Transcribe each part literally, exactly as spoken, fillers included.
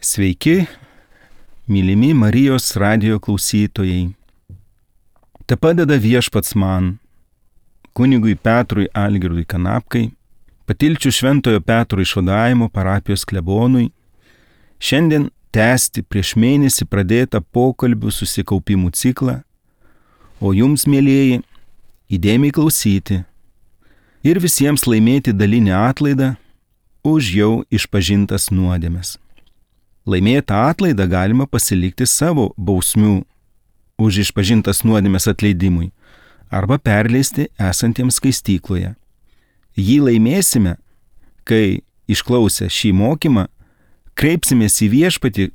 Sveiki, mylimi Marijos radijo klausytojai. Te padeda viešpats man, kunigui Petrui Algirdui Kanapkai, Patilčių Šventojo Petro išvadavimo parapijos klebonui, šiandien tęsti prieš mėnesį pradėtą pokalbių susikaupimų ciklą, o jums, mielieji, įdėmiai klausyti ir visiems laimėti dalinį atlaidą už jau išpažintas nuodėmes. Laimėtą atlaidą galima pasilikti savo bausmių už išpažintas nuodėmes atleidimui arba perleisti esantiems skaistykloje. Jį laimėsime, kai išklausę šį mokymą kreipsimės į viešpatį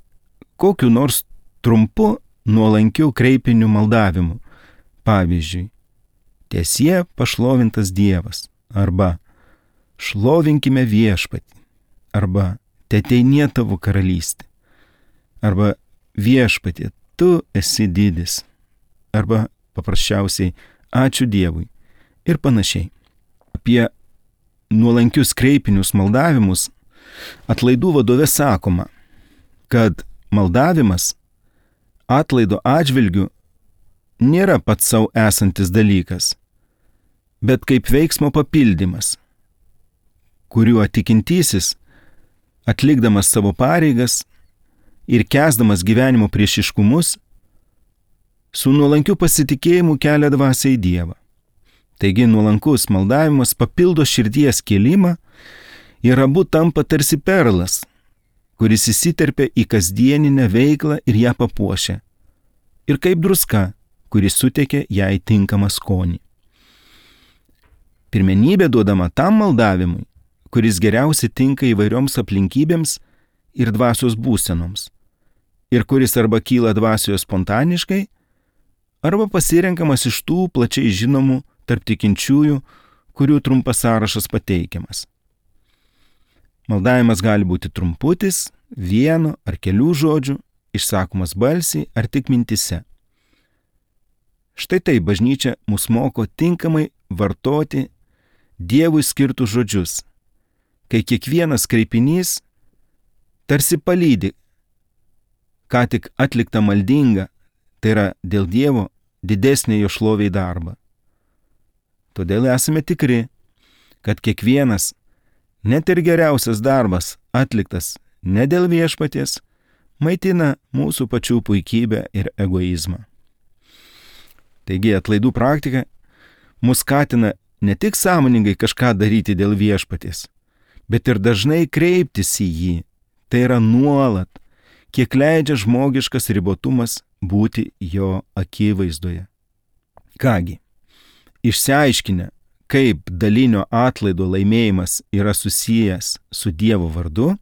kokiu nors trumpu nuolankiu kreipiniu maldavimu. Pavyzdžiui, tiesie pašlovintas Dievas arba šlovinkime viešpatį arba teteinie tavo karalystė, arba viešpatie, tu esi didis, arba paprasčiausiai ačiū Dievui ir panašiai. Apie nuolankius kreipinius maldavimus atlaidų vadove sakoma, kad maldavimas atlaido atžvilgiu nėra pats sau esantis dalykas, bet kaip veiksmo papildymas, kuriuo tikintysis atlikdamas savo pareigas ir kęsdamas gyvenimo priešiškumus, su nuolankiu pasitikėjimu kelia dvasią į Dievą. Taigi nuolankus maldavimas papildo širdies kėlimą ir abu tampa tarsi perlas, kuris įsiterpia į kasdieninę veiklą ir ją papuošia, ir kaip druska, kuris suteikia jai tinkamą skonį. Pirmenybė duodama tam maldavimui, kuris geriausiai tinka įvairioms aplinkybėms ir dvasios būsenoms, ir kuris arba kyla dvasioje spontaniškai, arba pasirenkamas iš tų plačiai žinomų tarp tikinčiųjų, kurių trumpas sąrašas pateikiamas. Maldavimas gali būti trumputis, vieno ar kelių žodžių, išsakomas balsiai ar tik mintise. Štai tai bažnyčia mus moko tinkamai vartoti Dievui skirtus žodžius, kai kiekvienas kreipinys tarsi palydi ką tik atliktą maldingą, tai yra dėl Dievo didesnį jo šloviai darbą. Todėl esame tikri, kad kiekvienas, net ir geriausias darbas atliktas ne dėl viešpaties, maitina mūsų pačių puikybę ir egoizmą. Taigi atlaidų praktika mus skatina ne tik sąmoningai kažką daryti dėl viešpaties, bet ir dažnai kreiptis į jį, tai yra nuolat, kiek leidžia žmogiškas ribotumas būti jo akivaizdoje. Kągi, išsiaiškinę, kaip dalinio atlaido laimėjimas yra susijęs su Dievo vardu,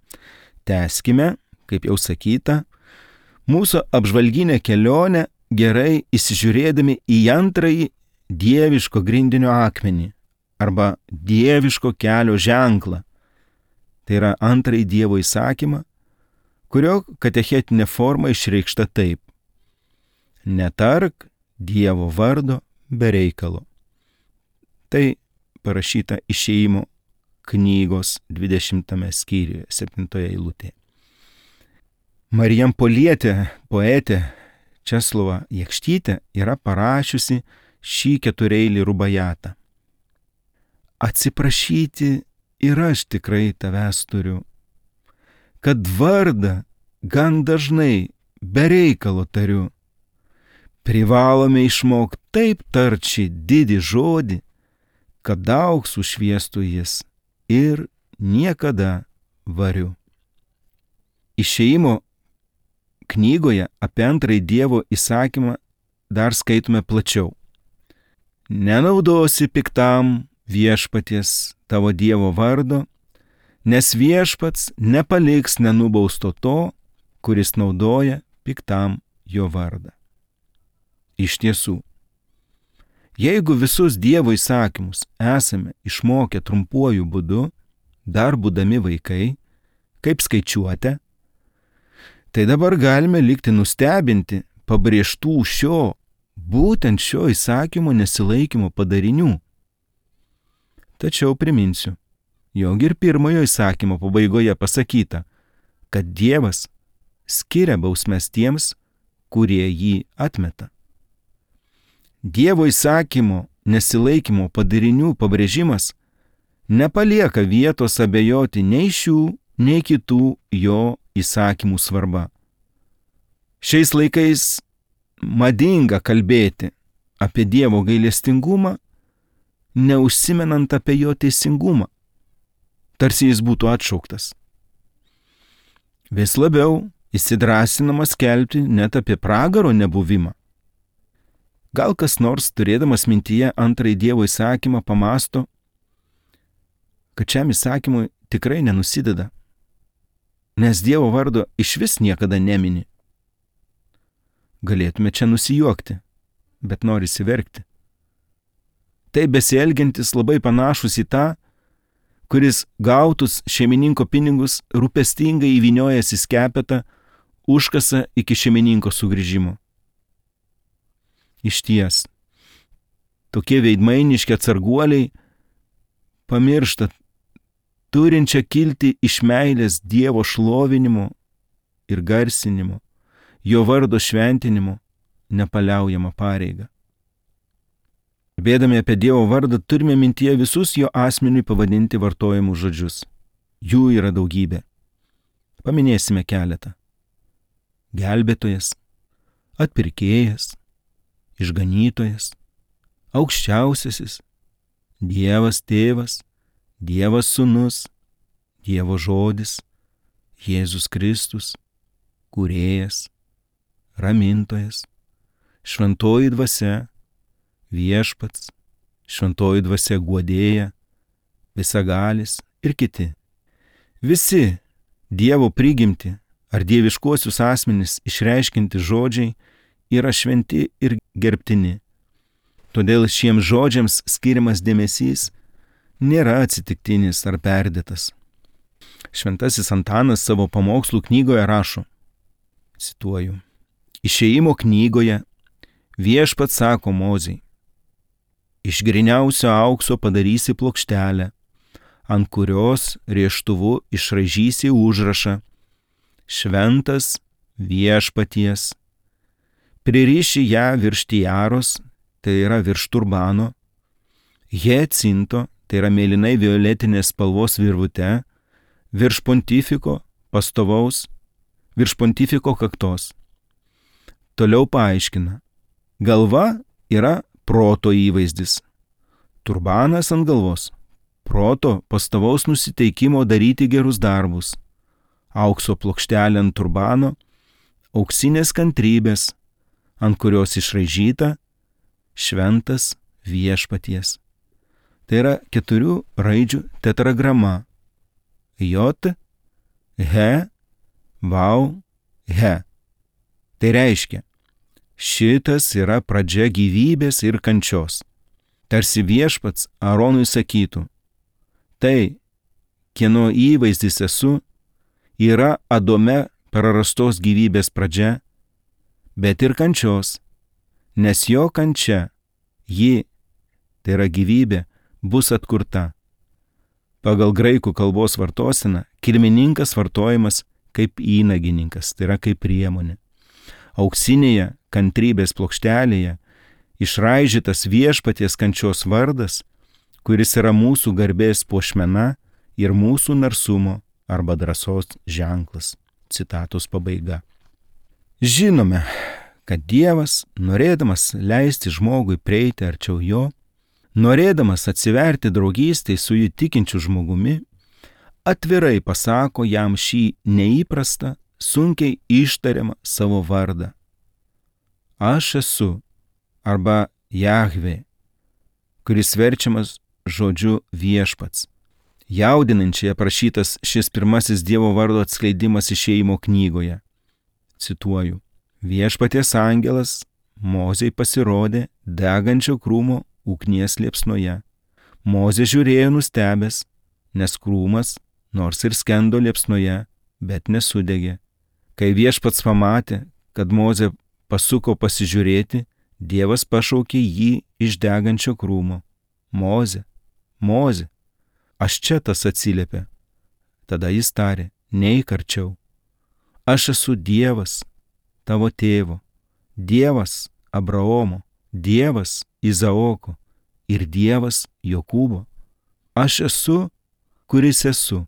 tęskime, kaip jau sakyta, mūsų apžvalginę kelionę gerai įsižiūrėdami į antrąjį dieviško grindinio akmenį arba dieviško kelio ženklą. Tai yra antrąjį Dievo įsakymą, kurio katechetinė forma išreikšta taip: netark Dievo vardo be reikalo. Tai parašyta Išėjimo knygos dvidešimtame skyriuje, septintoje eilutėje. Marijampolietė poetė Česlova Jakštytė yra parašiusi šį ketureilį rubajatą. Atsiprašyti ir aš tikrai tavęs turiu, kad vardą gan dažnai be reikalo tariu. Privalome išmokti taip tarčiai didį žodį, kad daug sušviestų jis ir niekada variu. Išėjimo knygoje apie antrąjį Dievo įsakymą dar skaitome plačiau. Nenaudosi piktam viešpaties tavo Dievo vardo, nes viešpats nepaliks nenubausto to, kuris naudoja piktam jo vardą. Iš tiesų, jeigu visus Dievo įsakymus esame išmokę trumpuoju būdu, dar būdami vaikai, kaip skaičiuote, tai dabar galime likti nustebinti pabrėžtų šio, būtent šio įsakymo nesilaikymo padarinių. Tačiau priminsiu, jog ir pirmojo įsakymo pabaigoje pasakyta, kad Dievas skiria bausmes tiems, kurie jį atmeta. Dievo įsakymo nesilaikymo padarinių pabrėžimas nepalieka vietos abejoti nei šių, nei kitų jo įsakymų svarba. Šiais laikais madinga kalbėti apie Dievo gailestingumą, neužsimenant apie jo teisingumą, tarsi jis būtų atšauktas. Vis labiau įsidrąsinama skelbti net apie pragaro nebuvimą. Gal kas nors, turėdamas mintyje antrąjį Dievo įsakymą, pamasto, kad šiam įsakymui tikrai nenusideda, nes Dievo vardo išvis niekada nemini. Galėtume čia nusijuokti, bet norisi verkti. Tai besielgiantis labai panašus į tą, kuris gautus šeimininko pinigus rūpestingai įvyniojęs į skepetą užkasa iki šeimininko sugrįžimo. Išties, tokie veidmainiški atsarguoliai pamiršta turinčią kilti iš meilės Dievo šlovinimo ir garsinimo, jo vardo šventinimo nepaliaujamą pareigą. Kalbėdami apie Dievo vardą turime mintyje visus jo asmeniui pavadinti vartojamus žodžius. Jų yra daugybė. Paminėsime keletą. Gelbėtojas, atpirkėjas, išganytojas, aukščiausiasis, Dievas tėvas, Dievas sūnus, Dievo žodis, Jėzus Kristus, kūrėjas, ramintojas, šventoji dvasia, viešpats, šventoji dvasia guodėja, visagalis ir kiti. Visi Dievo prigimti ar dieviškuosius asmenis išreiškinti žodžiai yra šventi ir gerbtini. Todėl šiems žodžiams skiriamas dėmesys nėra atsitiktinis ar perdėtas. Šventasis Antanas savo pamokslų knygoje rašo, cituoju, Išėjimo knygoje Viešpats sako Mozei, iš gryniausio aukso padarysi plokštelę, ant kurios rėžtuvu išraižysi užrašą Šventas Viešpaties. Pririši ją virš tiaros, tai yra virš turbano, hiacinto, tai yra mėlynai violetinės spalvos virvute, virš pontifiko pastovaus, virš pontifiko kaktos. Toliau paaiškina, galva yra proto įvaizdis, turbanas ant galvos, proto pastovaus nusiteikimo daryti gerus darbus, aukso plokštelė ant turbano, auksinės kantrybės, ant kurios išraižyta Šventas Viešpaties. Tai yra keturių raidžių tetragrama. J, He, Vau, He. Tai reiškia, šitas yra pradžia gyvybės ir kančios. Tarsi Viešpats Aronui sakytų, tai, kieno įvaizdis esu, yra Adome prarastos gyvybės pradžia, bet ir kančios, nes jo kančia, ji, tai yra gyvybė, bus atkurta. Pagal graikų kalbos vartoseną kilmininkas vartojamas kaip įnagininkas, tai yra kaip priemonė. Auksinėje kantrybės plokštelėje išraižytas Viešpaties kančios vardas, kuris yra mūsų garbės puošmena ir mūsų narsumo arba drąsos ženklas. Citatos pabaiga. Žinome, kad Dievas, norėdamas leisti žmogui prieiti arčiau jo, norėdamas atsiverti draugystei su jį tikinčiu žmogumi, atvirai pasako jam šį neįprastą, sunkiai ištariamą savo vardą. Aš esu arba Jahvė, kuris verčiamas žodžiu viešpats. Jaudinančiai aprašytas šis pirmasis Dievo vardo atskleidimas Išėjimo knygoje. Cituoju, viešpaties angelas Mozei pasirodė degančio krūmo ugnies liepsnoje. Mozė žiūrėjo nustebęs, nes krūmas, nors ir skendo liepsnoje, bet nesudegė. Kai viešpats pamatė, kad Mozė pasuko pasižiūrėti, Dievas pašaukė jį iš degančio krūmo. Mozė, Mozė, aš čia, tas atsiliepė. Tada jis tarė, neik arčiau. Aš esu Dievas tavo tėvo, Dievas Abraomo, Dievas Izaoko ir Dievas Jokūbo. Aš esu, kuris esu.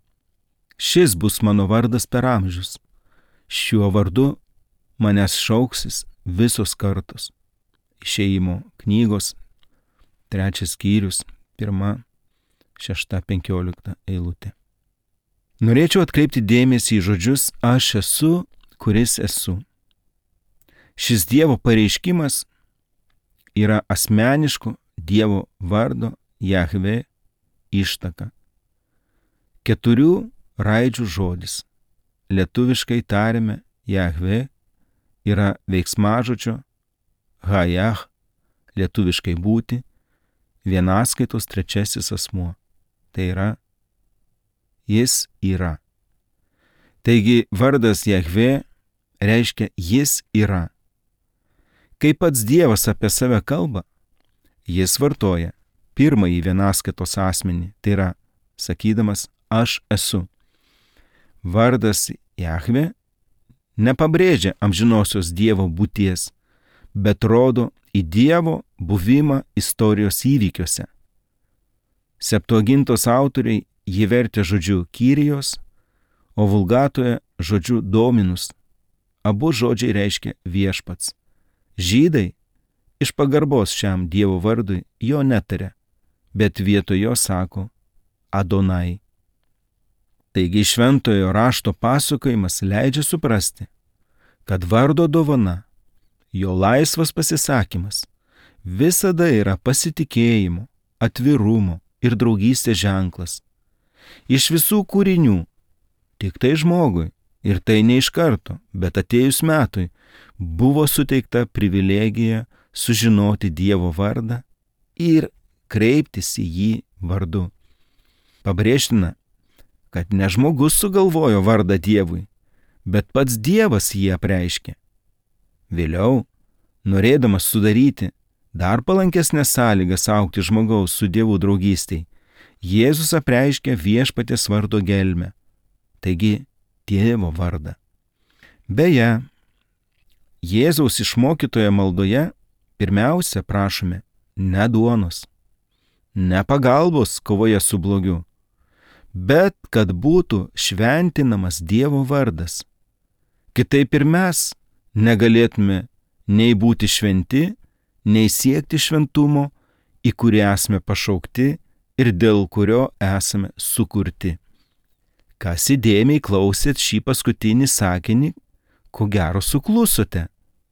Šis bus mano vardas per amžius. Šiuo vardu manęs šauksis visos kartos. Išėjimo knygos, trečias skyrius, pirma, šešta, penkiolikta eilutė. Norėčiau atkreipti dėmesį į žodžius aš esu, kuris esu. Šis Dievo pareiškimas yra asmeniško Dievo vardo Jahvė ištaka. Keturių raidžių žodis. Lietuviškai tariame Jahvė yra veiksmažodžio Hajah, lietuviškai būti, vienaskaitos trečiasis asmuo. Tai yra jis yra. Taigi vardas Jahvė reiškia jis yra. Kai pats Dievas apie save kalba, jis vartoja pirmąjį vienaskaitos asmenį, tai yra sakydamas aš esu. Vardas Jahvė nepabrėžia amžinosios Dievo būties, bet rodo į Dievo buvimą istorijos įvykiuose. Septuagintos autoriai jį vertė žodžiu Kyrijos, o vulgatoje žodžiu Dominus. Abu žodžiai reiškia viešpats. Žydai iš pagarbos šiam Dievo vardui jo netaria, bet vietoj jo sako Adonai. Taigi šventojo rašto pasakojimas leidžia suprasti, kad vardo dovana, jo laisvas pasisakymas visada yra pasitikėjimo, atvirumo ir draugystės ženklas. Iš visų kūrinių, tik tai žmogui, ir tai ne iš karto, bet atėjus metui, buvo suteikta privilegija sužinoti Dievo vardą ir kreiptis į jį vardu. Pabrėžtina, kad ne žmogus sugalvojo vardą Dievui, bet pats Dievas jį apreiškė. Vėliau, norėdamas sudaryti dar palankesnės sąlygas augti žmogaus su Dievu draugystei, Jėzus apreiškė viešpaties vardo gelmę, taigi Tėvo vardą. Beje, Jėzaus išmokytoje maldoje pirmiausia prašome ne duonos, ne pagalbos kovoje su blogiu, bet kad būtų šventinamas Dievo vardas. Kitaip ir mes negalėtume nei būti šventi, nei siekti šventumo, į kurį esame pašaukti ir dėl kurio esame sukurti. Kas įdėmiai klausėt šį paskutinį sakinį, ko gero suklusote,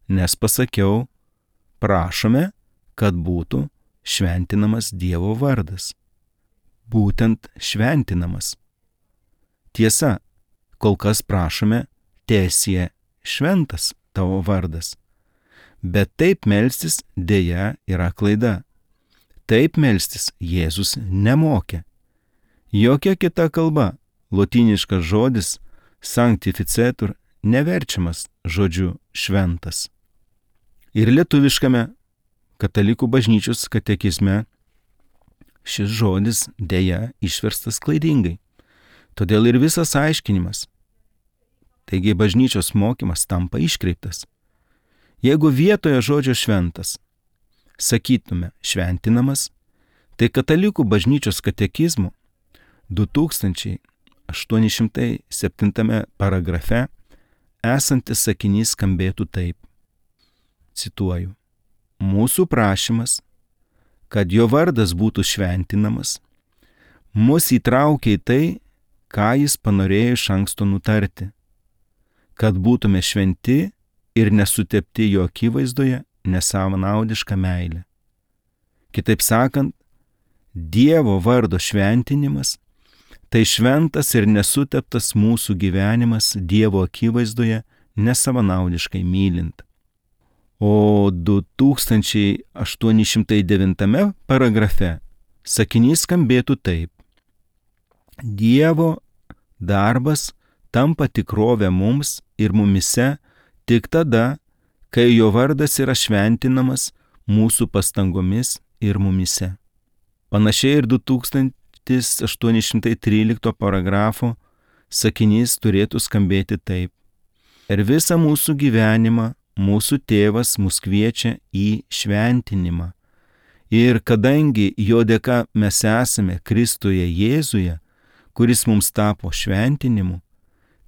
nes pasakiau, prašome, kad būtų šventinamas Dievo vardas. Būtent šventinamas. Tiesa, kol kas prašome, teesie šventas tavo vardas. Bet taip melstis dėja yra klaida. Taip melstis Jėzus nemokė. Jokia kita kalba, lotyniškas žodis sanctificetur neverčiamas žodžiu šventas. Ir lietuviškame katalikų bažnyčios katekizme šis žodis dėja išverstas klaidingai. Todėl ir visas aiškinimas, taigi bažnyčios mokymas tampa iškreiptas. Jeigu vietoje žodžio šventas sakytume šventinamas, tai katalikų bažnyčios katekizmo du tūkstančiai aštuoni šimtai septintame paragrafe esantis sakinys skambėtų taip. Cituoju. Mūsų prašymas, kad jo vardas būtų šventinamas, mus įtraukia į tai, ką jis panorėjo iš anksto nutarti, kad būtume šventi ir nesutepti jo akivaizdoje nesavanaudišką meilę. Kitaip sakant, Dievo vardo šventinimas tai šventas ir nesuteptas mūsų gyvenimas Dievo akivaizdoje nesavanaudiškai mylint. O du tūkstančiai aštuoni šimtai devintame paragrafe sakinys skambėtų taip. Dievo darbas tampa tikrovė mums ir mumise tik tada, kai jo vardas yra šventinamas mūsų pastangomis ir mumise. Panašiai ir du tūkstantis aštuoni šimtai trylikto paragrafo sakinys turėtų skambėti taip. Per visą mūsų gyvenimą mūsų tėvas mus kviečia į šventinimą. Ir kadangi jo dėka mes esame Kristuje Jėzuje, kuris mums tapo šventinimu,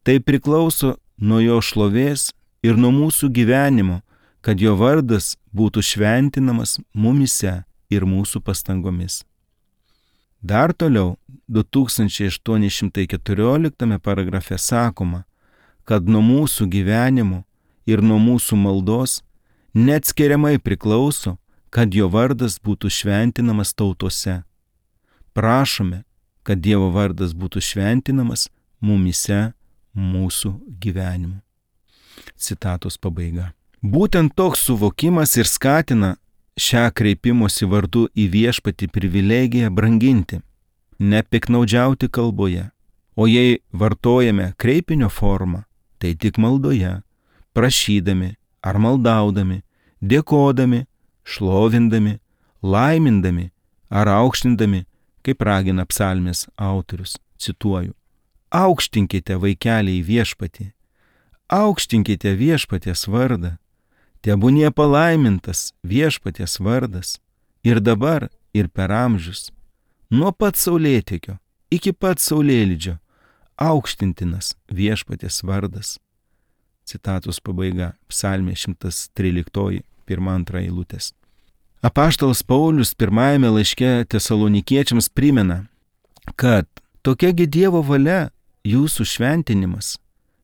tai priklauso nuo jo šlovės ir nuo mūsų gyvenimo, kad jo vardas būtų šventinamas mumyse ir mūsų pastangomis. Dar toliau, du tūkstančiai aštuoni šimtai keturioliktame paragrafe sakoma, kad nuo mūsų gyvenimo ir nuo mūsų maldos neatskiriamai priklauso, kad jo vardas būtų šventinamas tautose. Prašome, kad Dievo vardas būtų šventinamas mumyse mūsų gyvenimu. Citatos pabaiga. Būtent toks suvokimas ir skatina šią kreipimosi vardu į viešpatį privilegiją branginti, nepiknaudžiauti kalboje, o jei vartojame kreipinio formą, tai tik maldoje, prašydami ar maldaudami, dėkodami, šlovindami, laimindami ar aukštindami, kaip ragina psalmės autorius, cituoju, aukštinkite vaikeliai viešpatį, aukštinkite viešpaties vardą, tebūnie palaimintas viešpaties vardas ir dabar ir per amžius, nuo pat saulėtekio iki pat saulėlydžio aukštintinas viešpaties vardas. Citatos pabaiga, psalmė šimtas tryliktoji, pirma antra eilutės. Apaštalas Paulius pirmajame laiške Tesalonikiečiams primena, kad tokiagi Dievo valia jūsų šventinimas,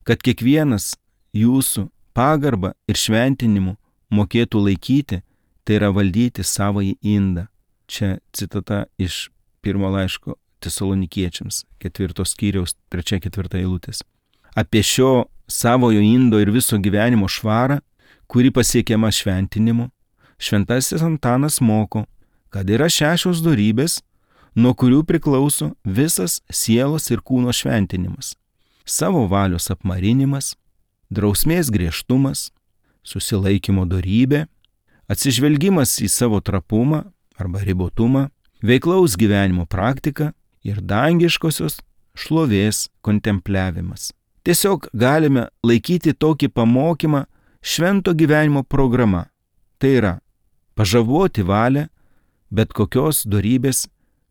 kad kiekvienas jūsų pagarbą ir šventinimu mokėtų laikyti, tai yra valdyti savąjį indą. Čia citata iš pirmo laiško Tesalonikiečiams, ketvirtos skyriaus, trečia ketvirta eilutės. Apie šio savojo indo ir viso gyvenimo švarą, kuri pasiekiama šventinimu, šventasis Antanas moko, kad yra šešios dorybės, nuo kurių priklauso visas sielos ir kūno šventinimas. Savo valios apmarinimas, drausmės griežtumas, susilaikymo dorybė, atsižvelgimas į savo trapumą arba ribotumą, veiklaus gyvenimo praktika ir dangiškosios šlovės kontempliavimas. Tiesiog galime laikyti tokį pamokymą švento gyvenimo programa. Tai yra pažaboti valią bet kokios dorybės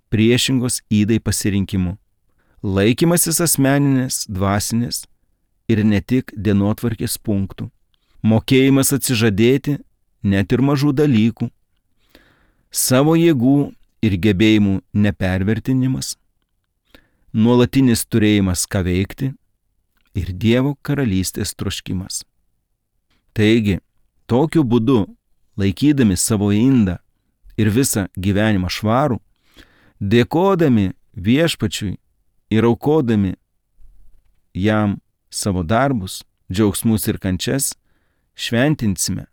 priešingos ydai pasirinkimu. Laikymasis asmeninės, dvasinės ir ne tik dienotvarkės punktų. Mokėjimas atsižadėti net ir mažų dalykų. Savo jėgų ir gebėjimų nepervertinimas. Nuolatinis turėjimas ką veikti ir Dievo karalystės troškimas. Taigi, tokiu būdu, laikydami savo indą ir visą gyvenimą švarų, dėkodami viešpačiui ir aukodami jam savo darbus, džiaugsmus ir kančias, šventinsime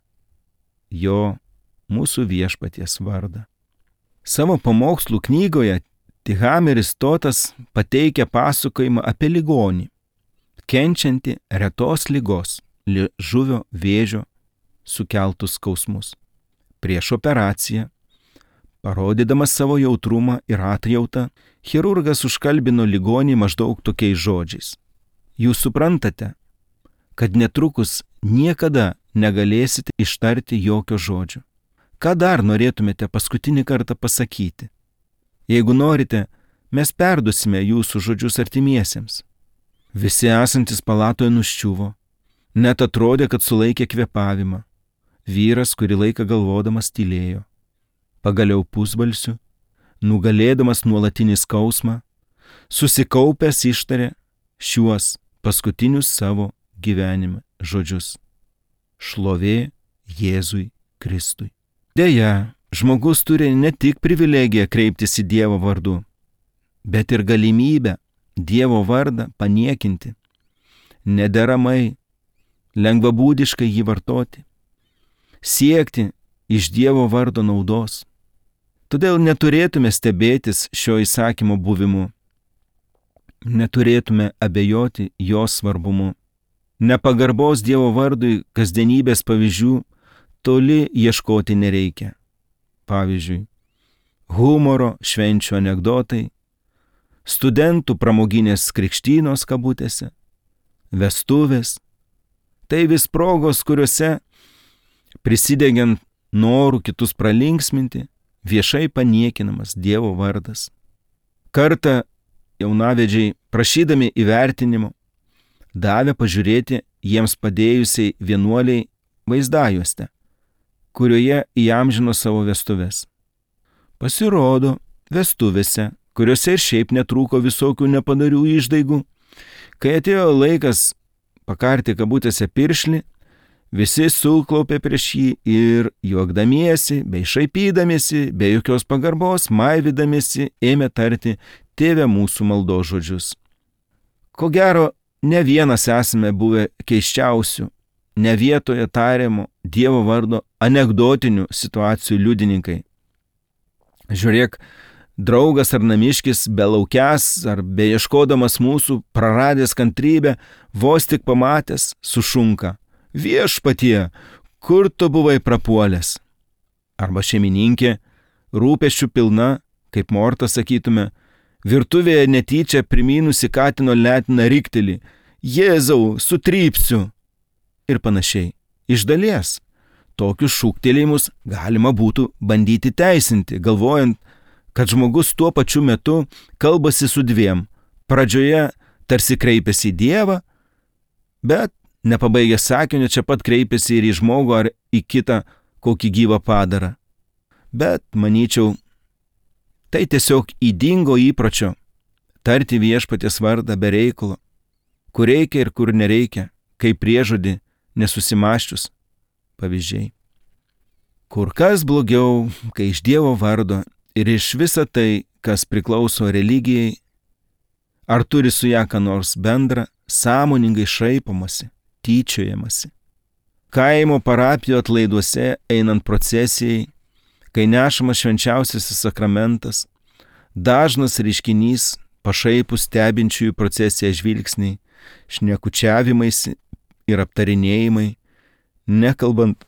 jo mūsų viešpaties vardą. Savo pamokslų knygoje Tihameris Totas pateikia pasakojimą apie ligonį, kenčiantį retos ligos, liežuvio vėžio sukeltus skausmus. Prieš operaciją, parodydamas savo jautrumą ir atjautą, chirurgas užkalbino ligonį maždaug tokiais žodžiais. Jūs suprantate, kad netrukus niekada negalėsite ištarti jokio žodžio. Ką dar norėtumėte paskutinį kartą pasakyti? Jeigu norite, mes perdusime jūsų žodžius artimiesiems. Visi esantis palatoje nuščiuvo, net atrodė, kad sulaikė kvėpavimą. Vyras kurį laiką galvodamas tylėjo. Pagaliau pusbalsiu, nugalėdamas nuolatinį skausmą, susikaupęs ištarė šiuos paskutinius savo gyvenime žodžius. Šlovė Jėzui Kristui. Deja, žmogus turi ne tik privilegiją kreiptis į Dievo vardu, bet ir galimybę Dievo vardą paniekinti, nederamai, lengvabūdiškai jį vartoti, siekti iš Dievo vardo naudos. Todėl neturėtume stebėtis šio įsakymo buvimu, neturėtume abejoti jo svarbumu. Nepagarbos Dievo vardui kasdienybės pavyzdžių toli ieškoti nereikia. Pavyzdžiui, humoro švenčių anekdotai, studentų pramoginės krikštynos kabutėse, vestuvės, Tai vis progos, kuriuose prisidegiant norų kitus pralinksminti, viešai paniekinamas Dievo vardas. Kartą jaunavedžiai, prašydami įvertinimo, davė pažiūrėti jiems padėjusiai vienuoliai vaizdajuostę, kurioje įamžino savo vestuves. Pasirodo, vestuvėse, kuriuose ir šiaip netrūko visokių nepadarių išdaigų, kai atėjo laikas pakarti kabutėse piršlį, visi sulklaupė prieš jį ir juokdamiesi, bei šaipydamiesi, be jokios pagarbos, maivydamiesi, ėmė tarti Tėve mūsų maldos žodžius. Ko gero, ne vienas esame buvę keisčiausių, ne vietoje tariamo Dievo vardo anekdotinių situacijų liudininkai. Žiūrėk, draugas ar namiškis belaukęs ar beieškodamas mūsų, praradęs kantrybę, vos tik pamatęs, sušunka: Viešpatie, kur tu buvai prapuolęs? Arba šeimininkė, rūpesčių pilna, kaip Morta sakytume, virtuvėje netyčia primynusi katino letiną riktelį: Jėzau, sutrypsiu! Ir panašiai. Iš dalies, tokius šūktelėjimus galima būtų bandyti teisinti, galvojant, kad žmogus tuo pačiu metu kalbasi su dviem. Pradžioje tarsi kreipiasi į Dievą, bet nepabaigęs sakinio čia pat kreipiasi ir į žmogų ar į kitą kokį gyvą padarą. Bet, manyčiau, tai tiesiog ydingo įpročio tarti Viešpaties vardą be reikalo, kur reikia ir kur nereikia, kaip priežodį nesusimaščius pavyzdžiai. Kur kas blogiau, kai iš Dievo vardo ir iš visa tai, kas priklauso religijai, ar turi su ją ką nors bendra, sąmoningai šaipomasi, tyčiojamasi. Kaimo parapijų atlaiduose einant procesijai, kai nešamas švenčiausiasis sakramentas, dažnas reiškinys pašaipų stebinčiųjų procesiją žvilgsniai, šnekučiavimaisi ir aptarinėjimai, nekalbant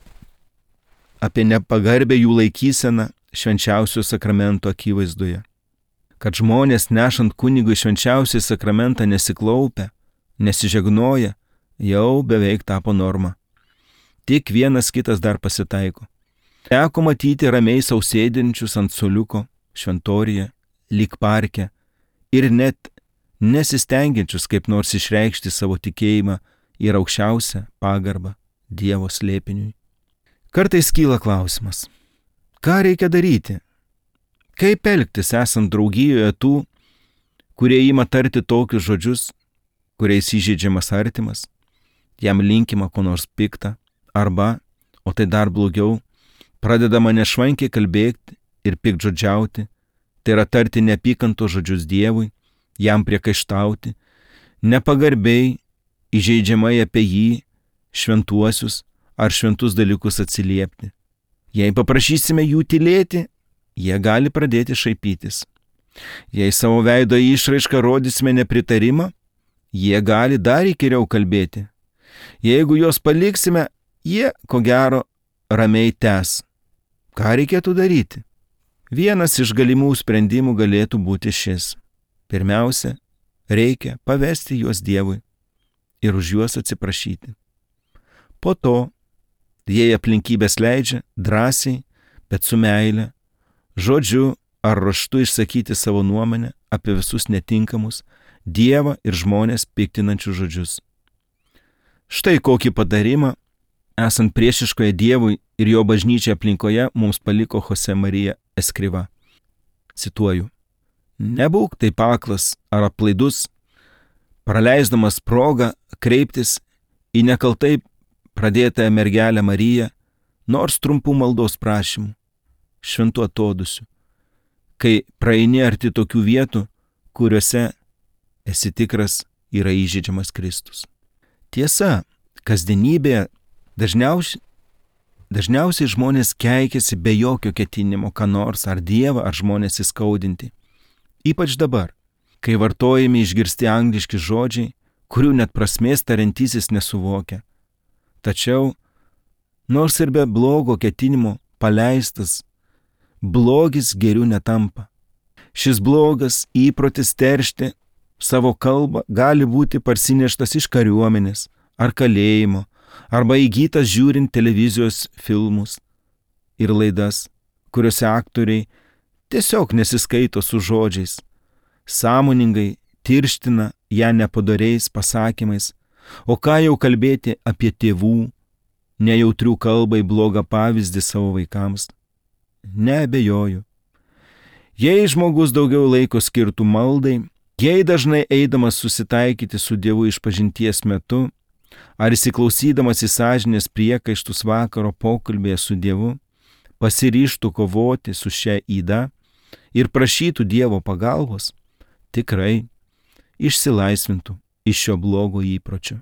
apie nepagarbę jų laikyseną švenčiausio sakramento akivaizdoje. Kad žmonės nešant kunigui švenčiausią sakramentą nesiklaupia, nesižegnoja, jau beveik tapo norma. Tik vienas kitas dar pasitaiko. Teko matyti ramiai sausėdinčius ant suoliuko, šventoriuje, lyg parke ir net nesistengiančius kaip nors išreikšti savo tikėjimą ir aukščiausią pagarbą Dievo slėpiniui. Kartais kyla klausimas, ką reikia daryti? Kaip elgtis esant draugijoje tų, kurie ima tarti tokius žodžius, kuriais įžeidžiamas artimas, jam linkima ko nors pikta, arba, o tai dar blogiau, pradedama nešvankiai kalbėti ir piktžodžiauti, tai yra tarti neapykantos žodžius Dievui, jam priekaištauti, nepagarbiai, įžeidžiamai apie jį, šventuosius ar šventus dalykus atsiliepti. Jei paprašysime jų tylėti, jie gali pradėti šaipytis. Jei savo veido išraišką rodysime nepritarimą, jie gali dar įkyriau kalbėti. Jeigu juos paliksime, jie, ko gero, ramiai tęs. Ką reikėtų daryti? Vienas iš galimų sprendimų galėtų būti šis. Pirmiausia, reikia pavesti juos Dievui ir už juos atsiprašyti. Po to, jei aplinkybės leidžia, drąsiai, bet su meile, žodžiu ar raštu išsakyti savo nuomonę apie visus netinkamus Dievą ir žmonės piktinančius žodžius. Štai kokį patarimą, esant priešiškoje Dievui ir jo bažnyčiai aplinkoje, mums paliko Jose Marija Escriva. Cituoju: Nebūk taip aklas ar aplaidus, praleisdamas progą kreiptis į nekaltai pradėtąją mergelę Mariją, nors trumpų maldos prašymų, šventų atodusių, kai praeini arti tokių vietų, kuriuose esi tikras yra įžeidžiamas Kristus. Tiesa, kasdienybėje dažniausiai, dažniausiai žmonės keikiasi be jokio ketinimo, ką nors ar Dievą, ar žmonės įskaudinti. Ypač dabar, kai vartojami išgirsti angliški žodžiai, kurių net prasmės tariantysis nesuvokia. Tačiau, nors ir be blogo ketinimo paleistas, blogis geriu netampa. Šis blogas įprotis teršti savo kalbą gali būti parsineštas iš kariuomenės ar kalėjimo, arba įgytas žiūrint televizijos filmus ir laidas, kuriuose aktoriai tiesiog nesiskaito su žodžiais, sąmoningai tirština ją nepadoriais pasakymais, o ką jau kalbėti apie tėvų, nejautrių kalbai blogą pavyzdį savo vaikams. Neabejoju. Jei žmogus daugiau laiko skirtų maldai, jei dažnai eidamas susitaikyti su Dievu išpažinties metu, ar įsiklausydamas į sąžinės priekaištus vakaro pokalbėje su Dievu, pasiryžtų kovoti su šia yda ir prašytų Dievo pagalbos, tikrai išsilaisvintų iš šio blogo įpročio.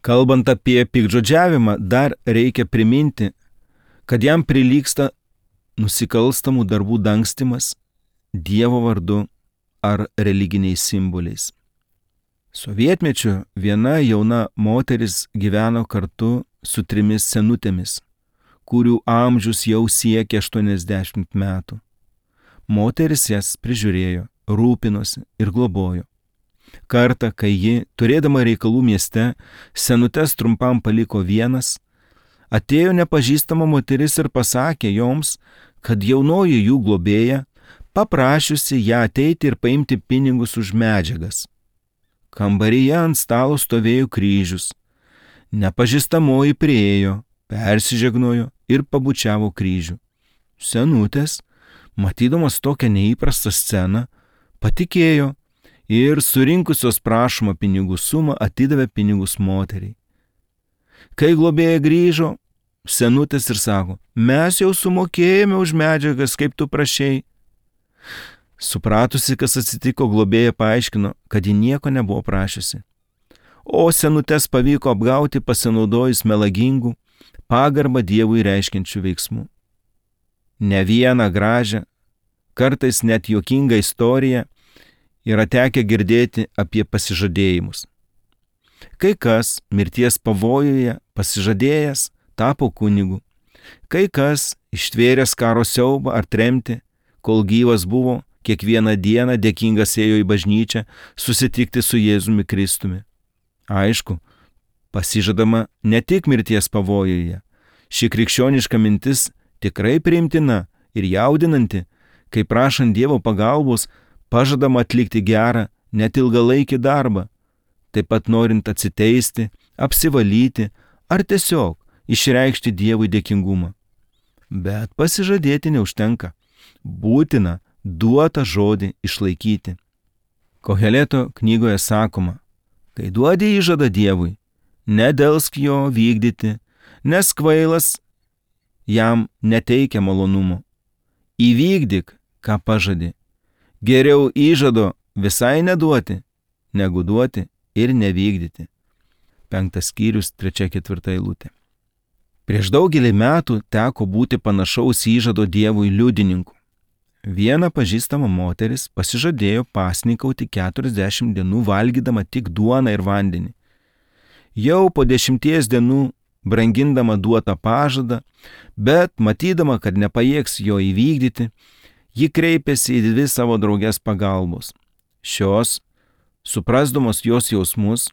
Kalbant apie piktžodžiavimą, dar reikia priminti, kad jam prilygsta nusikalstamų darbų dangstymas Dievo vardu ar religiniais simboliais. Sovietmečiu viena jauna moteris gyveno kartu su trimis senutėmis, kurių amžius jau siekia aštuoniasdešimt metų. Moteris jas prižiūrėjo, rūpinosi ir globojo. Kartą, kai ji, turėdama reikalų mieste, senutes trumpam paliko vienas, atėjo nepažįstama moteris ir pasakė joms, kad jaunoji jų globėja paprašiusi ją ateiti ir paimti pinigus už medžiagas. Kambaryje ant stalo stovėjo kryžius. Nepažįstamoji priėjo, persižegnojo ir pabučiavo kryžių. Senutės, matydamas tokią neįprastą sceną, patikėjo ir surinkusios prašomą pinigų sumą atidavė pinigus moteriai. Kai globėja grįžo, senutės ir sako, mes jau sumokėjome už medžiagas, kaip tu prašei. Supratusi, kas atsitiko, globėja paaiškino, kad ji nieko nebuvo prašiusi. O senutės pavyko apgauti pasinaudojus melagingų, pagarbą Dievui reiškiančių veiksmų. Ne vieną gražią, kartais net juokingą istoriją yra tekę girdėti apie pasižadėjimus. Kai kas mirties pavojuje pasižadėjęs tapo kunigu, kai kas ištvėręs karo siaubą ar tremtį, kol gyvas buvo, kiekvieną dieną dėkingas ėjo į bažnyčią susitikti su Jėzumi Kristumi. Aišku, pasižadama ne tik mirties pavojuje. Ši krikščioniška mintis tikrai priimtina ir jaudinanti, kai prašant Dievo pagalbos pažadama atlikti gerą, net ilgalaikį darbą, taip pat norint atsiteisti, apsivalyti ar tiesiog išreikšti Dievui dėkingumą. Bet pasižadėti neužtenka. Būtina duotą žodį išlaikyti. Koheleto knygoje sakoma, kai duodi įžadą Dievui, nedelsk jo vykdyti, nes kvailas jam neteikia malonumo. Įvykdyk, ką pažadi. Geriau įžado visai neduoti, negu duoti ir nevykdyti. Penktas skyrius, trečia ketvirta eilutė. Prieš daugelį metų teko būti panašaus įžado Dievui liudininku. Viena pažįstama moteris pasižadėjo pasninkauti keturiasdešimt dienų valgydama tik duoną ir vandenį. Jau po dešimties dienų, brangindama duotą pažadą, bet matydama, kad nepajėgs jo įvykdyti, ji kreipėsi į dvi savo draugės pagalbos. Šios, suprasdamos jos jausmus,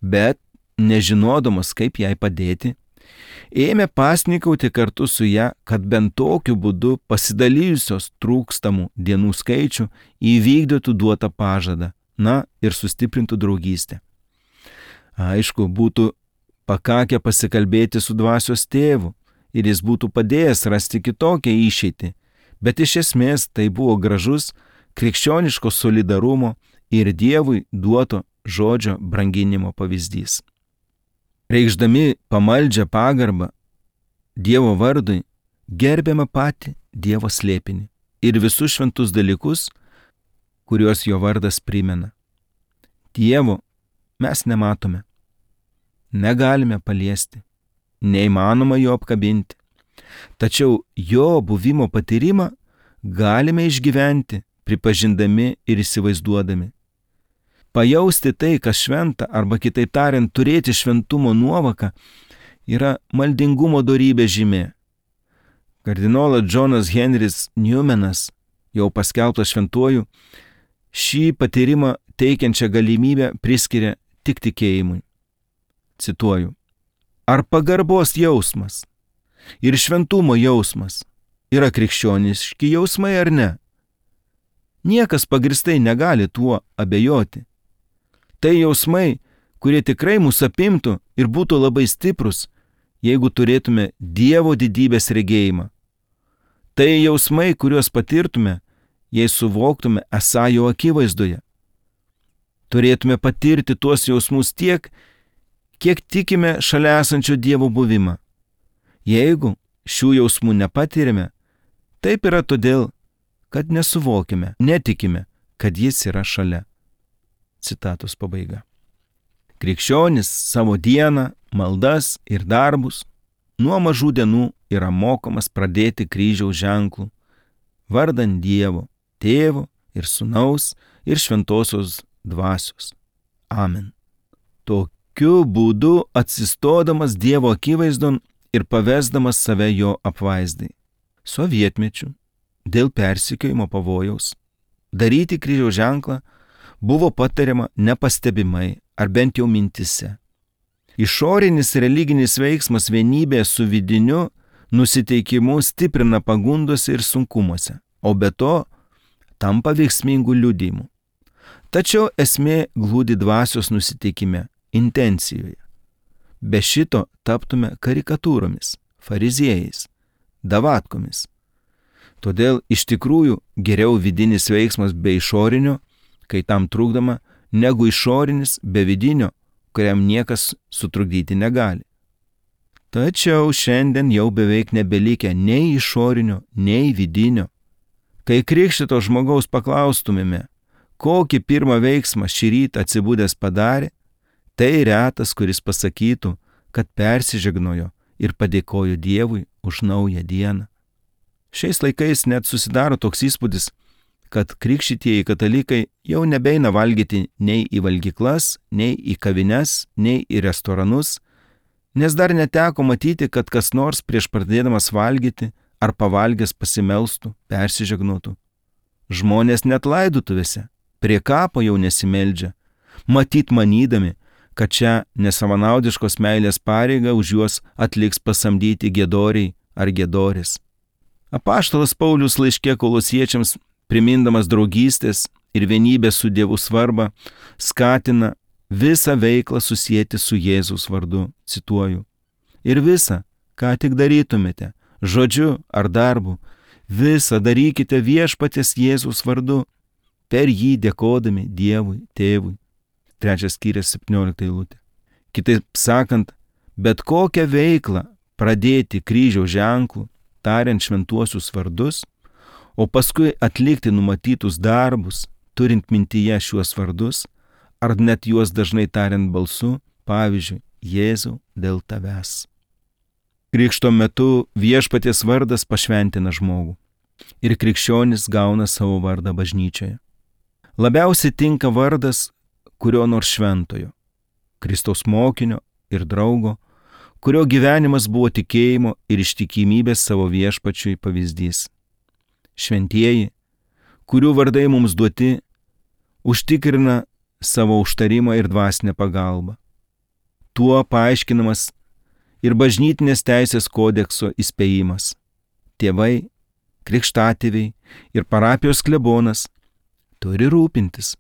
bet nežinodamos, kaip jai padėti, ėmė pasnikauti kartu su ją, kad bent tokiu būdu pasidalijusios trūkstamų dienų skaičių įvykdytų duotą pažadą, na ir sustiprintų draugystę. Aišku, būtų pakakę pasikalbėti su dvasios tėvu ir jis būtų padėjęs rasti kitokią išeitį, bet iš esmės tai buvo gražus krikščioniško solidarumo ir Dievui duoto žodžio branginimo pavyzdys. Reikšdami pamaldžią pagarbą Dievo vardui, gerbiame patį Dievo slėpinį ir visus šventus dalykus, kuriuos jo vardas primena. Dievo mes nematome, negalime paliesti, neįmanoma jo apkabinti, tačiau jo buvimo patyrimą galime išgyventi, pripažindami ir įsivaizduodami. Pajausti tai, kas šventa, arba kitaip tariant, turėti šventumo nuovoką, yra maldingumo dorybė žymė. Kardinolas Džonas Henris Newmanas, jau paskelbtas šventuoju, šį patyrimą teikiančią galimybę priskiria tik tikėjimui. Cituoju. Ar pagarbos jausmas ir šventumo jausmas yra krikščioniški jausmai ar ne? Niekas pagristai negali tuo abejoti. Tai jausmai, kurie tikrai mus apimtų ir būtų labai stiprus, jeigu turėtume Dievo didybės regėjimą. Tai jausmai, kuriuos patirtume, jei suvoktume esą jo akivaizdoje. Turėtume patirti tuos jausmus tiek, kiek tikime šalia esančio Dievo buvimą. Jeigu šių jausmų nepatirime, taip yra todėl, kad nesuvokime, netikime, kad jis yra šalia. Citatos pabaiga. Krikščionis savo dieną, maldas ir darbus nuo mažų dienų yra mokomas pradėti kryžiaus ženklų, vardant Dievo, Tėvo ir Sūnaus ir Šventosios Dvasios. Amen. Tokiu būdu atsistodamas Dievo akivaizdon ir pavesdamas save jo apvaizdai. Sovietmečiu, dėl persekiojimo pavojaus, daryti kryžiaus ženklą buvo patariama nepastebimai ar bent jau mintise. Išorinis religinis veiksmas vienybė su vidiniu nusiteikimu stiprina pagundose ir sunkumuose, o be to tampa veiksmingų liudijimu. Tačiau esmė glūdi dvasios nusiteikime, intencijoje. Be šito taptume karikatūromis, fariziejais, davatkomis. Todėl iš tikrųjų geriau vidinis veiksmas be išorinio, kai tam trukdoma, negu išorinis be vidinio, kuriam niekas sutrukdyti negali. Tačiau šiandien jau beveik nebelikę nei išorinio, nei vidinio. Kai krikštito žmogaus paklaustumėme, kokį pirmą veiksmą šį rytą atsibudęs padarė, tai retas, kuris pasakytų, kad persižegnojo ir padėkojo Dievui už naują dieną. Šiais laikais net susidaro toks įspūdis, kad krikštytieji katalikai jau nebeina valgyti nei į valgyklas, nei į kavines, nei į restoranus, nes dar neteko matyti, kad kas nors prieš pradėdamas valgyti ar pavalgęs pasimelstų, persižegnotų. Žmonės net laidotuvėse prie kapo jau nesimeldžia, matyt manydami, kad čia nesavanaudiškos meilės pareigą už juos atliks pasamdyti giedoriai ar giedorės. Apaštalas Paulius laiške Kolosiečiams, primindamas draugystės ir vienybės su Dievu svarbą, skatina visą veiklą susieti su Jėzaus vardu, cituoju. Ir visą, ką tik darytumėte, žodžiu ar darbu, visą darykite viešpaties Jėzaus vardu, per jį dėkodami Dievui, Tėvui. Trečias skyrius, septyniolikta eilutė. Kitaip sakant, bet kokią veiklą pradėti kryžiaus ženklų, tariant šventuosius vardus, o paskui atlikti numatytus darbus, turint mintyje šiuos vardus, ar net juos dažnai tariant balsu, pavyzdžiui, Jėzau dėl tavęs. Krikšto metu viešpaties vardas pašventina žmogų ir krikščionis gauna savo vardą bažnyčioje. Labiausiai tinka vardas kurio nors šventojo, Kristaus mokinio ir draugo, kurio gyvenimas buvo tikėjimo ir ištikimybės savo viešpačiui pavyzdys. Šventieji, kurių vardai mums duoti, užtikrina savo užtarimą ir dvasinę pagalbą. Tuo paaiškinamas ir bažnytinės teisės kodekso įspėjimas. Tėvai, krikštatėviai ir parapijos klebonas turi rūpintis,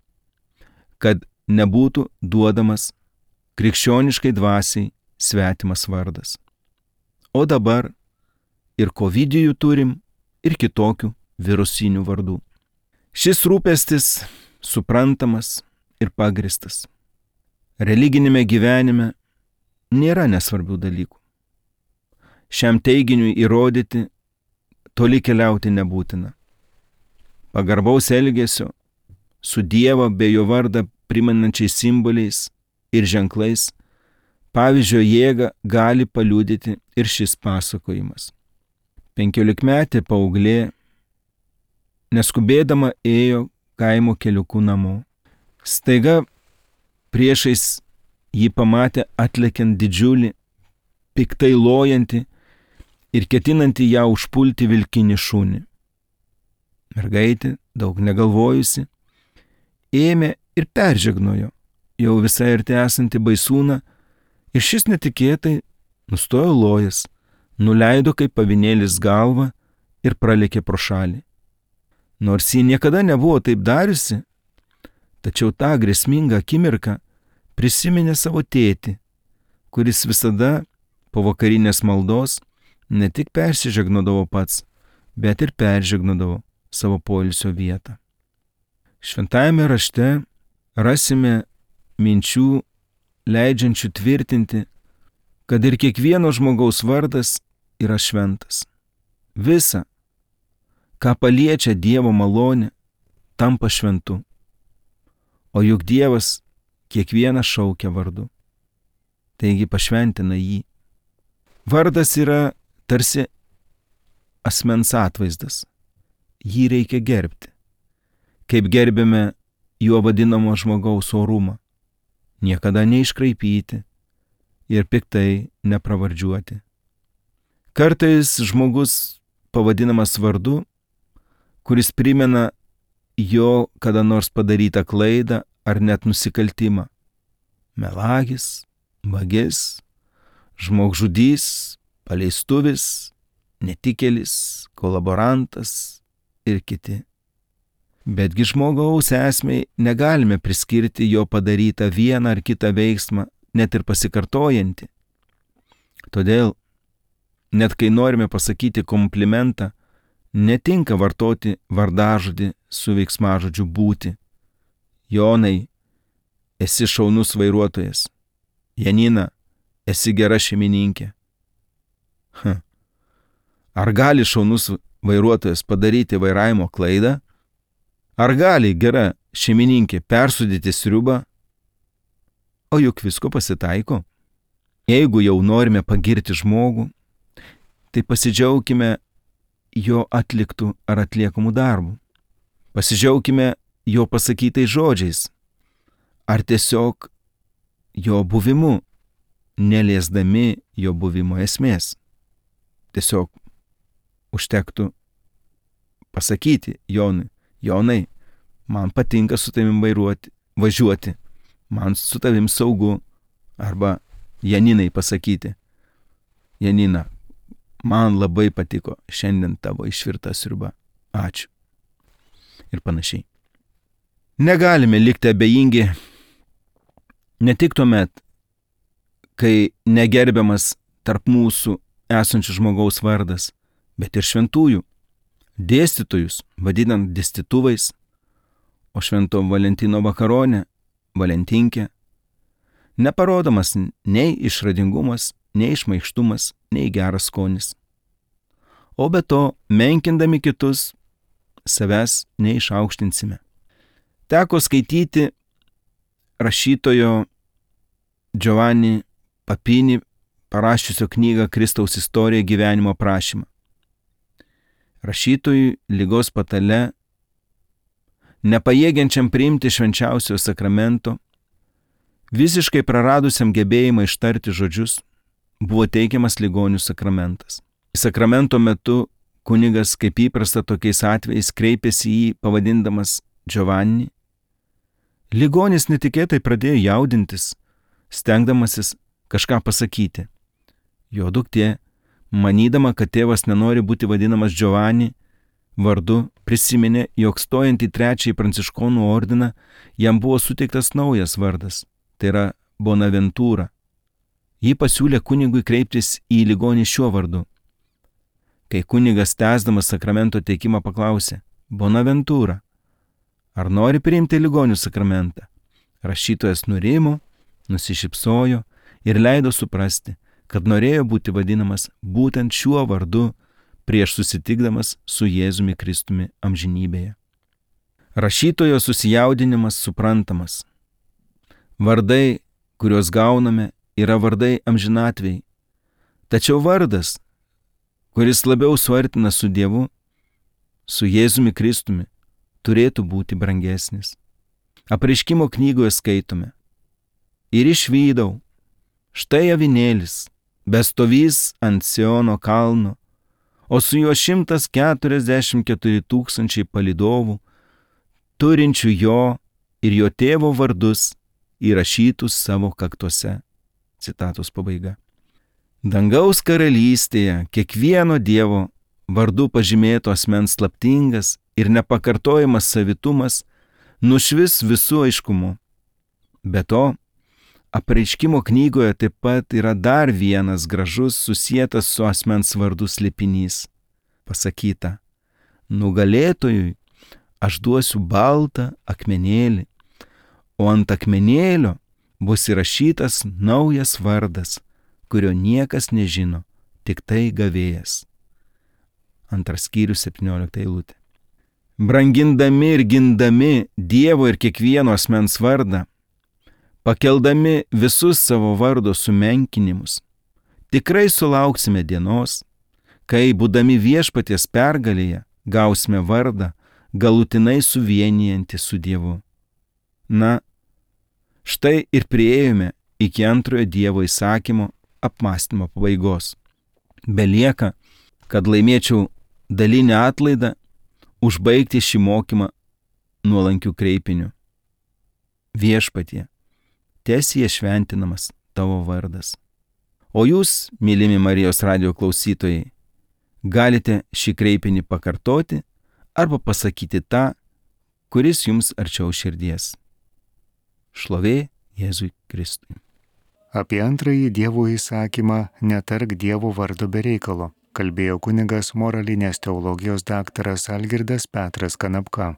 kad nebūtų duodamas krikščioniškai dvasiai svetimas vardas. O dabar ir kovidijų turim, ir kitokių virusinių vardų. Šis rūpestis suprantamas ir pagristas. Religinėme gyvenime nėra nesvarbių dalykų. Šiam teiginiui įrodyti toli keliauti nebūtina. Pagarbaus elgesio su Dievo bei jo vardą primenančiais simboliais ir ženklais pavyzdžio jėgą gali paliudyti ir šis pasakojimas. Penkiolikmetė paauglė neskubėdama ėjo kaimo keliuku namo. Staiga priešais jį pamatė atlekiant didžiulį, piktai lojantį ir ketinantį ją užpulti vilkinį šunį. Mergaitė, daug negalvojusi, ėmė ir peržegnojo jau visai arti esantį baisūną ir šis netikėtai nustojo lojęs, nuleido kaip avinėlis galvą ir pralėkė pro šalį. Nors ji niekada nebuvo taip dariusi, tačiau tą grėsmingą akimirką prisiminė savo tėtį, kuris visada po vakarinės maldos ne tik persižegnodavo pats, bet ir peržegnodavo savo poilsio vietą. Šventajame rašte rasime minčių leidžiančių tvirtinti, kad ir kiekvieno žmogaus vardas yra šventas. Visa, ką paliečia Dievo malonė, tampa šventu. O juk Dievas kiekvieną šaukia vardu. Taigi pašventina jį. Vardas yra tarsi asmens atvaizdas. Jį reikia gerbti. Kaip gerbėme juo vadinamo žmogaus orumą. Niekada neiškraipyti ir piktai nepravardžiuoti. Kartais žmogus pavadinamas vardu, kuris primena jo kada nors padarytą klaidą ar net nusikaltimą. Melagis, vagis, žmogžudys, paleistuvis, netikėlis, kolaborantas ir kiti. Betgi žmogaus esmei negalime priskirti jo padarytą vieną ar kitą veiksmą, net ir pasikartojantį. Todėl, net kai norime pasakyti komplimentą, netinka vartoti vardažodį su veiksmažodžiu būti. Jonai, esi šaunus vairuotojas. Janina, esi gera šeimininkė. Hm. Ar gali šaunus vairuotojas padaryti vairavimo klaidą? Ar gali gera šeimininkė persūdyti sriubą? O juk visko pasitaiko. Jeigu jau norime pagirti žmogų, tai pasidžiaukime jo atliktų ar atliekamų darbų. Pasidžiaukime jo pasakytais žodžiais, ar tiesiog jo buvimu, neliesdami jo buvimo esmės. Tiesiog užtektų pasakyti Jonui, Jonai, man patinka su tavim vairuoti, važiuoti, man su tavim saugu, arba Janinai pasakyti, Janina, man labai patiko šiandien tavo išvirta sriuba, ačiū. Ir panašiai. Negalime likti abejingi ne tik tuomet, kai negerbiamas tarp mūsų esančių žmogaus vardas, bet ir šventųjų, dėstytojus vadinant dėstytuvais, o švento Valentino vakaronę Valentinkę, neparodomas nei išradingumas, nei šmaikštumas, nei geras skonis. O be to, menkindami kitus, savęs neišaukštinsime. Teko skaityti rašytojo Giovanni Papini parašiusio knygą Kristaus istorija gyvenimo aprašymą. Rašytojui ligos patale, nepajėgiančiam priimti švenčiausio sakramento, visiškai praradusiam gebėjimą ištarti žodžius, buvo teikiamas ligonių sakramentas. Sakramento metu kunigas, kaip įprasta tokiais atvejais, kreipėsi į jį pavadindamas Giovanni. Ligonis netikėtai pradėjo jaudintis, stengdamasis kažką pasakyti. Jo duktė, manydama, kad tėvas nenori būti vadinamas Giovanni vardu, prisiminė, jog stojant į trečiąjį pranciškonų ordiną jam buvo suteiktas naujas vardas, tai yra Bonaventūra. Ji pasiūlė kunigui kreiptis į ligonį šiuo vardu. Kai kunigas tęsdamas sakramento teikimą paklausė, Bonaventūra, ar nori priimti ligonių sakramentą? Rašytojas nurimo, nusišypsojo ir leido suprasti, kad norėjo būti vadinamas būtent šiuo vardu prieš susitikdamas su Jėzumi Kristumi amžinybėje. Rašytojo susijaudinimas suprantamas. Vardai, kuriuos gauname, yra vardai amžinatvei. Tačiau vardas, kuris labiau suartina su Dievu, su Jėzumi Kristumi, turėtų būti brangesnis. Apreiškimo knygoje skaitome. Ir išvydau, štai avinėlis, bestovys ant Siono kalno, o su juo šimtas keturiasdešimt keturi tūkstančiai palydovų, turinčių jo ir jo tėvo vardus įrašytus savo kaktuose. Citatos pabaiga. Dangaus karalystėje kiekvieno Dievo vardu pažymėto asmens slaptingas ir nepakartojamas savitumas nušvis visų aiškumu. Be to, Apreiškimo knygoje taip pat yra dar vienas gražus susietas su asmens vardu slėpinys. Pasakyta, nugalėtojui aš duosiu baltą akmenėlį, o ant akmenėlio bus įrašytas naujas vardas, kurio niekas nežino, tik tai gavėjas. Antras skyrius, septyniolikta eilutė. Brangindami ir gindami Dievo ir kiekvieno asmens vardą, pakeldami visus savo vardo sumenkinimus, tikrai sulauksime dienos, kai, būdami viešpaties pergalėje, gausime vardą galutinai suvienijantį su Dievu. Na, štai ir priėjome iki antrojo Dievo įsakymo apmąstymo pabaigos. Belieka, kad laimėčiau dalinę atlaidą, užbaigti šį mokymą nuolankių kreipiniu. Viešpatie, teesie šventinamas tavo vardas. O jūs, mylimi Marijos radijo klausytojai, galite šį kreipinį pakartoti arba pasakyti tą, kuris jums arčiau širdies. Šlovė Jėzui Kristui. Apie antrąjį Dievo įsakymą netark Dievo vardo be reikalo, kalbėjo kunigas moralinės teologijos daktaras Algirdas Petras Kanapka.